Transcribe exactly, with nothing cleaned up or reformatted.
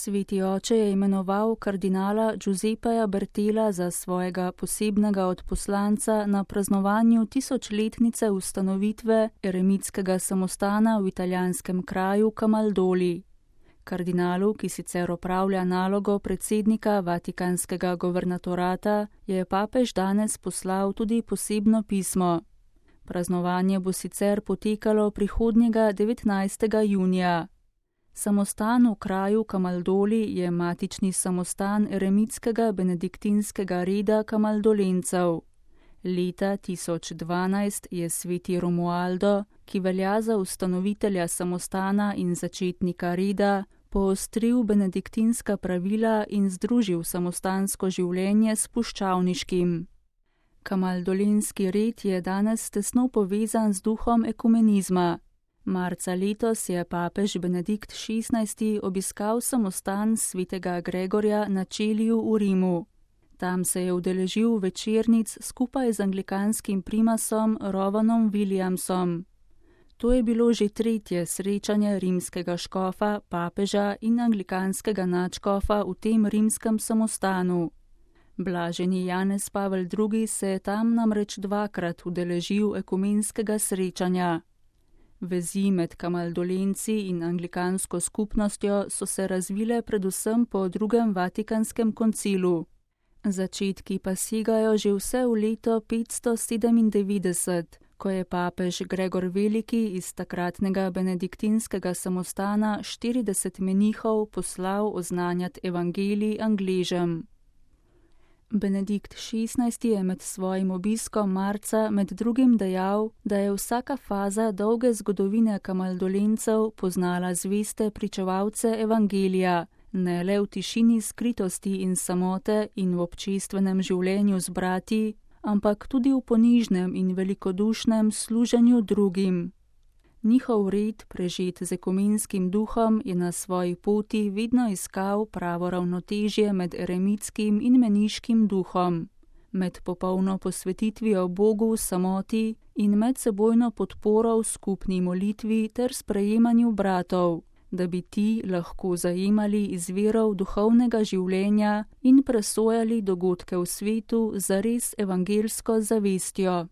Sveti oče je imenoval kardinala Giuseppeja Bertela za svojega posebnega odposlanca na praznovanju tisočletnice ustanovitve eremitskega samostana v italijanskem kraju Camaldoli. Kardinalu, ki sicer opravlja nalogo predsednika Vatikanskega governatorata, je papež danes poslal tudi posebno pismo. Praznovanje bo sicer potekalo prihodnjega devetnajstega junija. Samostan v kraju Camaldoli je matični samostan eremitskega benediktinskega reda kamaldolencev. Leta tisoč dvanajst je sveti Romualdo, ki velja za ustanovitelja samostana in začetnika reda, poostril benediktinska pravila in združil samostansko življenje s puščavniškim. Kamaldolenski red je danes tesno povezan z duhom ekumenizma. Marca letos je papež Benedikt šestnajsti obiskal samostan svetega Gregorja na Čeliju v Rimu. Tam se je udeležil večernic skupaj z anglikanskim primasom Rovanom Williamsom. To je bilo že tretje srečanje rimskega škofa, papeža in anglikanskega nadškofa v tem rimskem samostanu. Blaženi Janez Pavel drugi se je tam namreč dvakrat udeležil ekumenskega srečanja. Vezi med kamaldolenci in anglikansko skupnostjo so se razvile predvsem po drugem Vatikanskem koncilu. Začetki pa segajo že vse v leto petsto sedemindevetdeset, ko je papež Gregor Veliki iz takratnega benediktinskega samostana štirideset menihov poslal oznanjati evangelij Angležem. Benedikt šestnajsti je med svojim obiskom marca med drugim dejal, da je vsaka faza dolge zgodovine kamaldolencev poznala zveste pričevalce evangelija, ne le v tišini skritosti in samote in v občestvenem življenju z brati, ampak tudi v ponižnem in velikodušnem služenju drugim. Njihov red, prežet z ekumenskim duhom, je na svoji poti vedno iskal pravo ravnotežje med eremitskim in meniškim duhom, med popolno posvetitvijo Bogu v samoti in medsebojno podporo v skupni molitvi ter sprejemanju bratov, da bi ti lahko zajemali iz virov duhovnega življenja in presojali dogodke v svetu zares evangelsko zavestjo.